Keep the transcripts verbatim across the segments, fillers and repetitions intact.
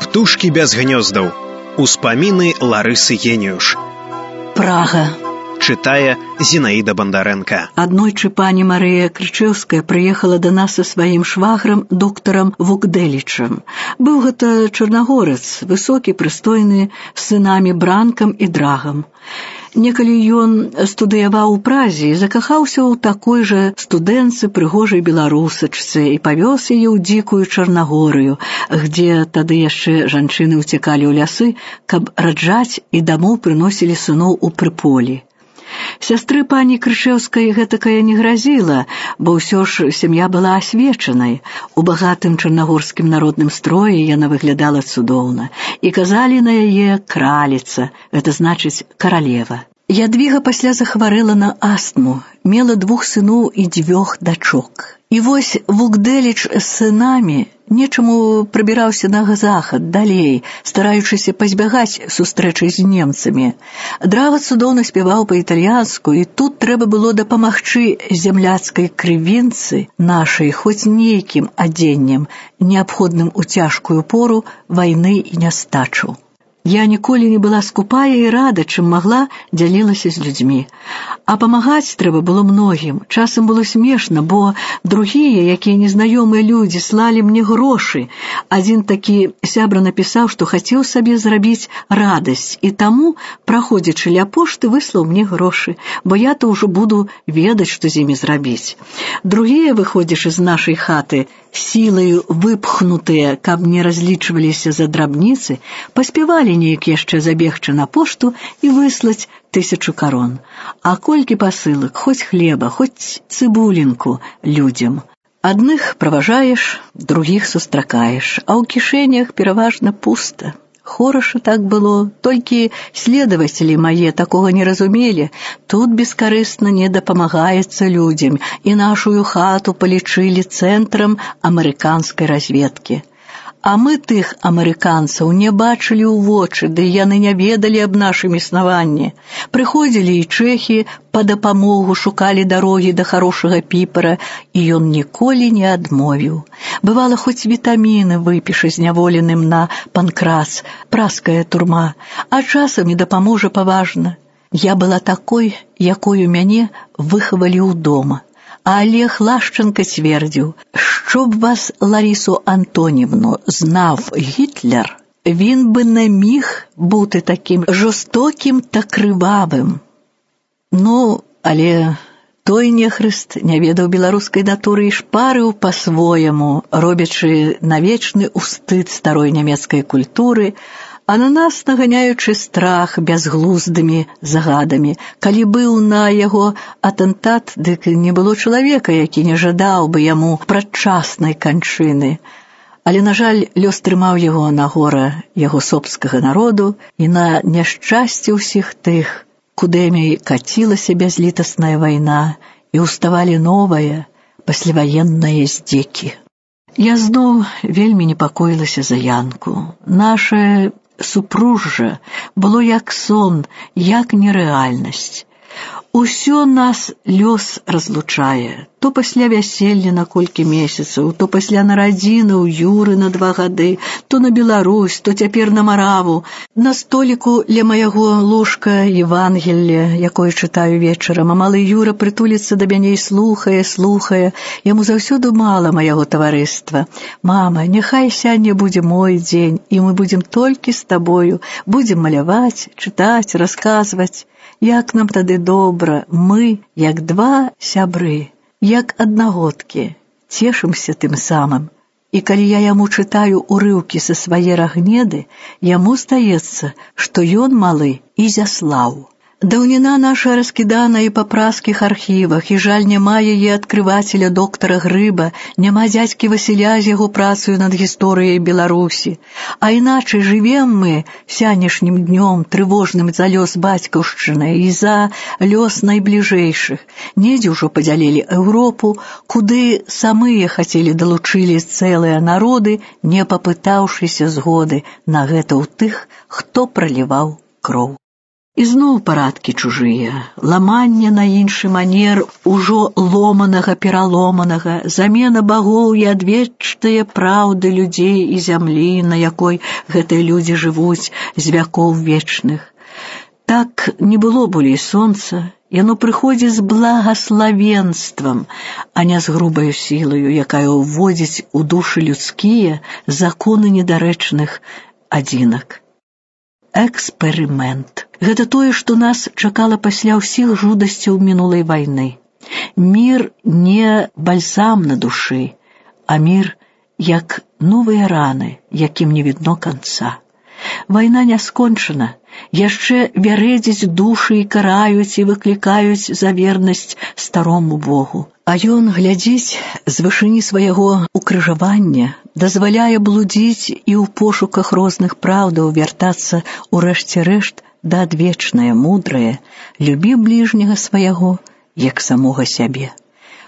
Птушки без гнездов. Успомины Ларысы Гениуш. Прага. Читае Зинаида Бондаренко. Аднойчы пані Марыя Крычэўская прыехала да нас са сваім шваграм, доктарам Вугдэлічам. Быў гэта чарнагорац, высокі, прыстойны, з сынамі Бранкам і Драгам. Некалі ён студыяваў у Празе і закахаўся ў такой жа студэнтцы, прыгожай беларусачцы, і павёз яе ў дзікую Чарнагорыю, где тады яшчэ жанчыны ўцякалі ў лясы, каб раджаць, і дамоў прыносілі сыноў у прыполі. Сястры пані Крычэўскай гэтакая не гразіла, бо ўсё ж сям'я была асвечанай. У багатым чарнагорскім народным строі яна выглядала цудоўна, і казалі на яе краліца, гэта значыць каралева. Ядвіга пасля захварэла на астму, мела двух сыноў і дзвюх дачок. І вось Вугдэліч з сынамі нечаму прабіраўся на захад, далей, стараючыся пазбягаць сустрэчы з немцамі. Драга цудоўна спяваў па-італьянску, і тут трэба было дапамагчы зямляцкай крывінцы нашай хоць нейкім адзеннем, неабходным у цяжкую пору вайны і нястачу. Я ніколі не была скупая і рада, чым магла, дзялілася з людзьмі. А памагаць трэба было многім. Часам было смешна, бо другія, якія незнаёмыя людзі, слалі мне грошы. Адзін такі сябра напісаў, што хацеў сабе зрабіць радасць, і таму, праходзячы ля пошты, выслаў мне грошы, бо я-то ўжо буду ведаць, што з імі зрабіць. Другія, выходзячы з нашай хаты, сілаю выпхнутыя, каб не разлічваліся за драбніцы, паспявалі неяк яшчэ забегчы на пошту і выслаць тысячу карон. А колькі пасылак, хоць хлеба, хоць цыбулінку людзям. Адных праважаеш, другіх сустракаеш, а ў кішэнях пераважна пуста. Хораша так было, толькі следавацелі мае такога не разумелі. Тут бескарысна не дапамагаецца людзям, і нашую хату палічылі цэнтрам амерыканскай разведкі. А мы тых амерыканцаў не бачылі ў вочы, ды яны не ведалі аб нашым існаванні. Прыходзілі і чэхі па дапамогу, шукалі дарогі да харошага піпара, і ён ніколі не адмовіў. Бывала, хоць вітаміны выпіша зняволеным на панкрац, праская турма, а часам не дапаможа паважна. Я была такой, якою мяне выхавалі ў дома. А Олег Лашченко твердив, щоб вас, Ларису Антонівну, знав Гітлер, він би не міг бути таким жорстоким та кривавим. Ну, але той нехрист не ведав білоруської натури і шпарив по-своєму, робячи навечний устид старої німецької культури, а на нас наганяючы страх бязглуздымі загадамі. Калі быў на яго атэнтат, дык не было чалавека, які не жадаў бы яму прадчаснай канчыны. Але, на жаль, лёс трымаў яго на гора яго собскага народу і на няшчасце ўсіх тых, кудэмі кацілася бязлітасная вайна, і ўставалі новыя пасляваенныя здзекі. Я зноў вельмі непакоілася за Янку. Наша супружжа было як сон, як нерэальнасць. Усё нас лёс разлучае. То пасля вяселля на колькі месяцаў, то пасля нарадзіны ў Юры на два гады, то на Беларусь, то цяпер на Мараву. На століку ля маяго ложка Евангелле, якое чытаю вечарам, а малы Юра прытуліцца да мяне і слухае, слухае. Яму заўсёды мала маяго таварыства. Мама, няхай сягоння будзе мой дзень, і мы будзем толькі з табою, будзем маляваць, чытаць, расказваць. Як нам тады добра, мы, як два сябры, як аднагодкі, цешымся тым самым. І калі я яму чытаю урыўкі са свае рагнеды, яму здаецца, што ён малы Ізяслаў. Даўніна наша раскідана і па праскіх архівах, і жаль, няма яе адкрывацеля доктара Грыба, няма дзядзькі Васіля з яго працаю над гісторыяй Беларусі. А іначай жывем мы сянешнім днём, трывожным за лёс бацькаўшчыны і за лёс найбліжэйшых. Недзе ўжо падзялілі Еўропу, куды самыя хацелі далучылі цэлыя народы, не папытаўшыся згоды на гэта ў тых, хто праліваў кроў. І зноў парадкі чужыя, ламанне на іншы манер ужо ломанага пераломанага, замена багоў і адвечныя праўды людзей і зямлі, на якой гэтыя людзі жывуць з вякоў вечных. Так не было болей сонца, яно прыходзіць з благаславенствам, а не з грубаю сілаю, якая ўводзіць у душы людскія законы недарэчных адзінак. Эксперымент. Гэта тое, што нас чакала пасля ўсіх жудасцяў мінулай вайны. Мір не бальзам на душы, а мір як новыя раны, якім не відно канца. Вайна не скончана, яшчэ вярэдзяць душы і караюць і выклікаюць за вернасць старому Богу. А ён глядзіць з вышыні свайго укрыжавання, дазваляе блудзіць і ў пошуках розных праўдаў вяртацца ў рэшце рэшт да адвечнае, мудрае, любі бліжняга свайго, як самога сябе.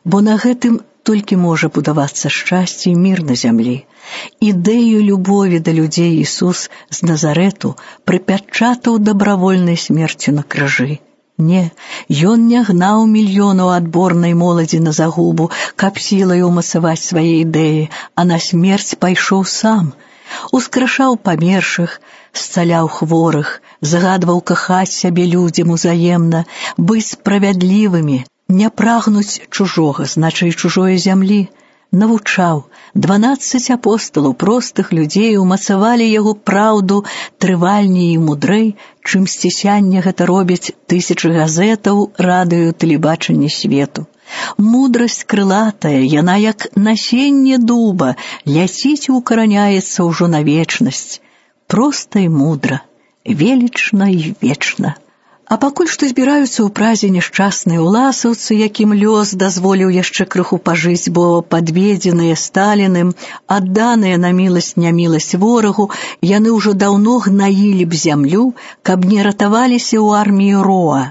Бо на гэтым толькі можа будавацца шчасце і мір на зямлі. Ідэю любові да людзей Ісус з Назарэту прыпячатаў дабравольнай смерцю на крыжы. Не, ён не гнаў мільёнаў адборнай моладзі на загубу, каб сілай умацаваць свае ідэі, а на смерць пайшоў сам. Ускрашаў памершых, зцаляў хворых, загадваў кахаць сябе людзям узаемна, быць справядлівымі, не прагнуць чужога, значай чужое зямлі. Навучаў. Дванаццаць апосталаў, простых людзей, умацавалі яго праўду трывальней і мудрэй, чым сцісянне гэта робяць тысячы газетаў, радыё, тэлебачання свету. Мудрасць крылатая, яна як насенне дуба, ляціць і укараняецца ўжо на вечнасць. Проста і мудра, велічна і вечна. А пакуль што збіраюцца ў празе няшчасныя уласаўцы, якім лёс дазволіў яшчэ крыху пажыць, бо падведзеныя Сталіным, адданыя на міласць-няміласць ворагу, яны ўжо даўно гнаілі б зямлю, каб не ратаваліся ў арміі Роа.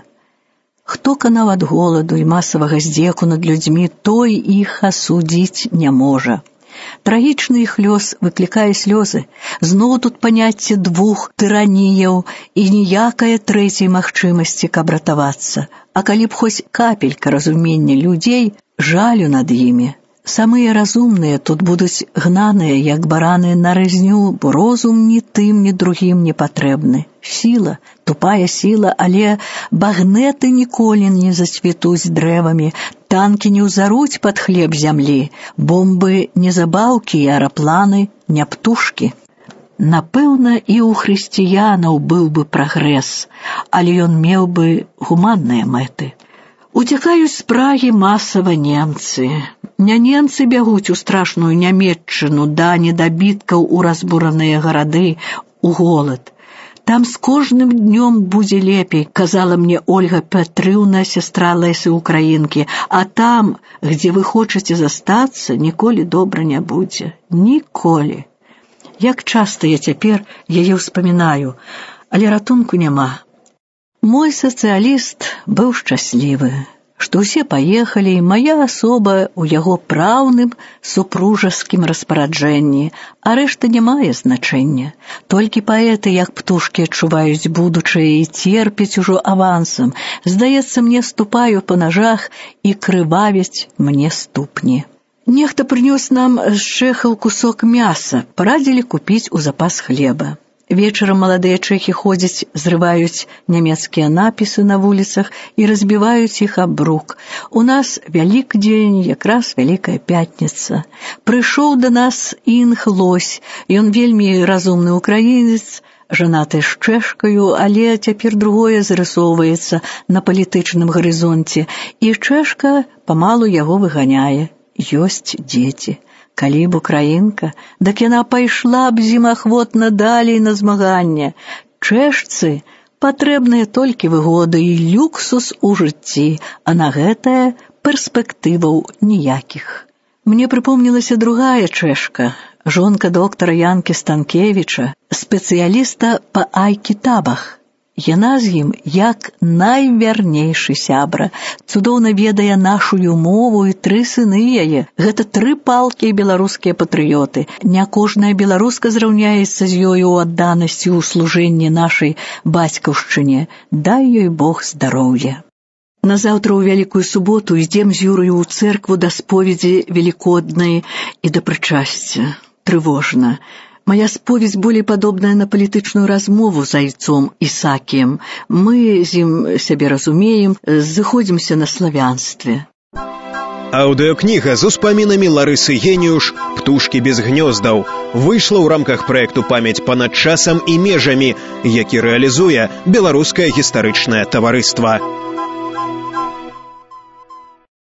Хто канаў ад голаду і масавага здзеку над людзьмі, той іх асудзіць не можа. Трагічны іх лёс выклікае слёзы. Зноў тут паняцце двух тыраніяў і ніякае трэцяй магчымасці, каб ратавацца. А калі б хоць капелька разумення людзей, жалю над імі. Самыя разумныя тут будуць гнаныя, як бараны на рызню, бо розум ні тым, ні другім не патрэбны. Сіла, тупая сіла, але багнеты ніколі не зацвітуць дрэвамі, танкі не ўзаруць пад хлеб зямлі, бомбы не забаўкі, аэрапланы не птушкі. Напэўна, і ў хрысціянаў быў бы прагрэс, але ён меў бы гуманныя мэты. Уцякаюць з Прагі масава немцы. Не немцы бягуць у страшную Нямецчыну, да недабіткаў у разбураныя гарады, у голад. Там з кожным днём будзе лепей, казала мне Ольга Петрыўна, сястра Лесі Украінкі, а там, где вы хочаце застацца, ніколі добра не будзе. Ніколі. Як часта я цяпер яе ўспамінаю, але ратунку няма. Мой сацыяліст быў шчаслівы, што ўсе паехалі, і мая асоба ў яго праўным супружаскім распараджэнні, а рэшта не мае значэння. Толькі паэты, як птушкі, адчуваюць будучае і церпяць ужо авансам. Здаецца, мне ступаю па нажах і крывавяць мне ступні. Нехта прынёс нам з чэхаў кусок мяса, парадзілі купіць у запас хлеба. Вечарам маладыя чэхі ходзяць, зрываюць нямецкія напісы на вуліцах і разбіваюць іх аб брук. У нас Вялікдзень, якраз Вялікая Пятніца. Прыйшоў да нас Інг Лось, ён вельмі разумны украінец, жанаты з чэшкаю, але цяпер другое зарысоўваецца на палітычным гарызонце, і чэшка памалу яго выганяе. Ёсць дзеці. Калі б украінка, дак яна пайшла б зімахвотна далей на змаганне. Чэшцы патрэбныя толькі выгоды і люксус у жыцці, а на гэтае перспектываў ніякіх. Мне прыпомнілася другая чэшка, жонка доктара Янкі Станкевіча, спецыяліста па ай-кітабах. Яна з ім як найвярнейшы сябра, цудоўна ведае нашую мову і тры сыны яе. Гэта тры палкія беларускія патрыёты. Не кожная беларуска зраўняецца з ёю ў адданасці ў служэнні нашай бацькаўшчыне. Дай ёй Бог здароўя. Назаўтра ў Вялікую суботу ідзем з Юраю ў цэркву да споведзі велікоднай і да прычасця. Трывожна. Моя споведь болей падобная на палітычную размову з айцом Ісакіем. Мы з ім сябе разумеем, зыходзімся на славянстве. Аўдыокніга з успамінамі Ларысы Геніуш «Птушкі без гнёздаў» выйшла ў рамках праекту «Памяць панад часам і межамі», які рэалізуе Беларускае гістарычнае таварыства.